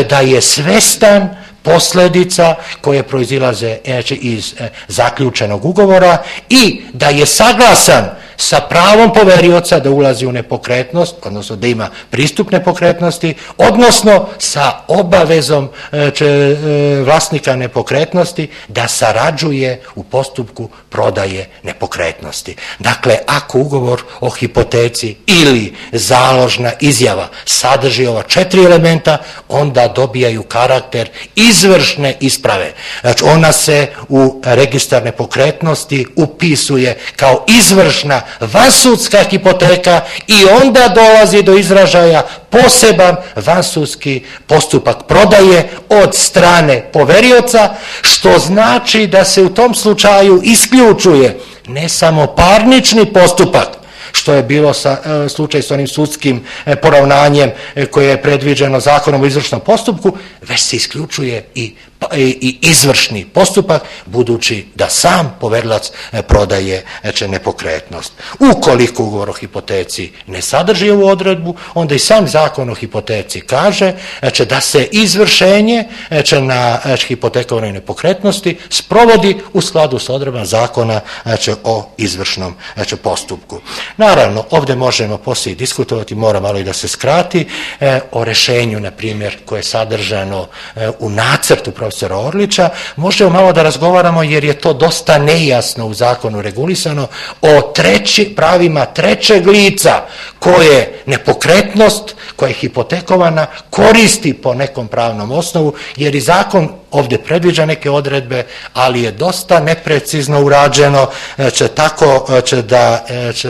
da je svestan posljedica koje proizilaze iz zaključenog ugovora i da je saglasan sa pravom poverioca da ulazi u nepokretnost, odnosno da ima pristup nepokretnosti, odnosno sa obavezom vlasnika nepokretnosti da sarađuje u postupku prodaje nepokretnosti. Dakle, ako ugovor o hipoteci ili založna izjava sadrži ova četiri elementa, onda dobijaju karakter izvršne isprave. Znači, ona se u registar nepokretnosti upisuje kao izvršna vansudska hipoteka i onda dolazi do izražaja poseban vansudski postupak prodaje od strane poverioca, što znači da se u tom slučaju isključuje ne samo parnični postupak, što je bilo sa, e, slučaj s onim sudskim e, poravnanjem e, koje je predviđeno zakonom o izvršnom postupku, već se isključuje i, i, i izvršni postupak, budući da sam poverilac e, prodaje e, nepokretnost. Ukoliko ugovor o hipoteci ne sadrži ovu odredbu, onda i sam zakon o hipoteci kaže e, da se izvršenje e, na e, hipotekovanoj nepokretnosti sprovodi u skladu s odredbama zakona e, o izvršnom e, postupku. Naravno, ovdje možemo poslije diskutovati, mora malo i da se skrati, e, o rešenju, na primjer, koje je sadržano e, u nacrtu profesora Orlića. Možemo malo da razgovaramo, jer je to dosta nejasno u zakonu regulisano, o treći, pravima trećeg lica koje nepokretnost, koja je hipotekovana, koristi po nekom pravnom osnovu, jer i zakon ovdje predviđa neke odredbe, ali je dosta neprecizno urađeno, će tako će da će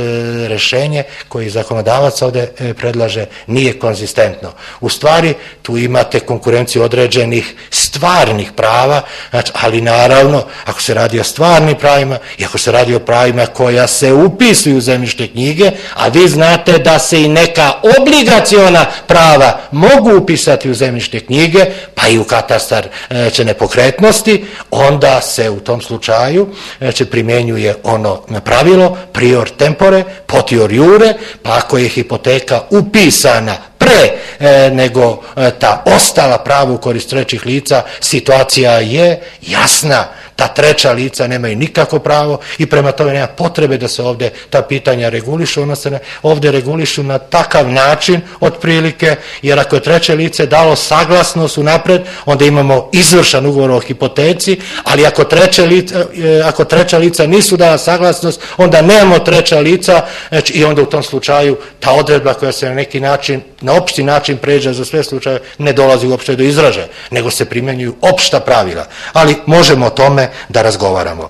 rešenje koje zakonodavac ovdje predlaže nije konzistentno. U stvari, tu imate konkurenciju određenih stvarnih prava, znači, ali naravno, ako se radi o stvarnim pravima i ako se radi o pravima koja se upisuju u zemljišne knjige, a vi znate da se i neka obligaciona prava mogu upisati u zemljišne knjige, pa i u katastar će nepokretnosti, onda se u tom slučaju će primjenjuje ono pravilo prior tempore, potior iure, pa ako je hipoteka upisana pre e, nego e, ta ostala prava u korist trećih lica, situacija je jasna. Ta treća lica nemaju nikako pravo i prema tome nema potrebe da se ovdje ta pitanja regulišu, ono se ovdje regulišu na takav način otprilike, jer ako je treće lice dalo saglasnost unapred, onda imamo izvršan ugovor o hipoteci, ali ako, treće lica, ako treća lica nisu dala saglasnost, onda nemamo treća lica, znači, i onda u tom slučaju ta odredba koja se na neki način, na opšti način pređe za sve slučaje, ne dolazi uopšte do izražaja, nego se primjenjuju opšta pravila. Ali možemo o tome da razgovaramo.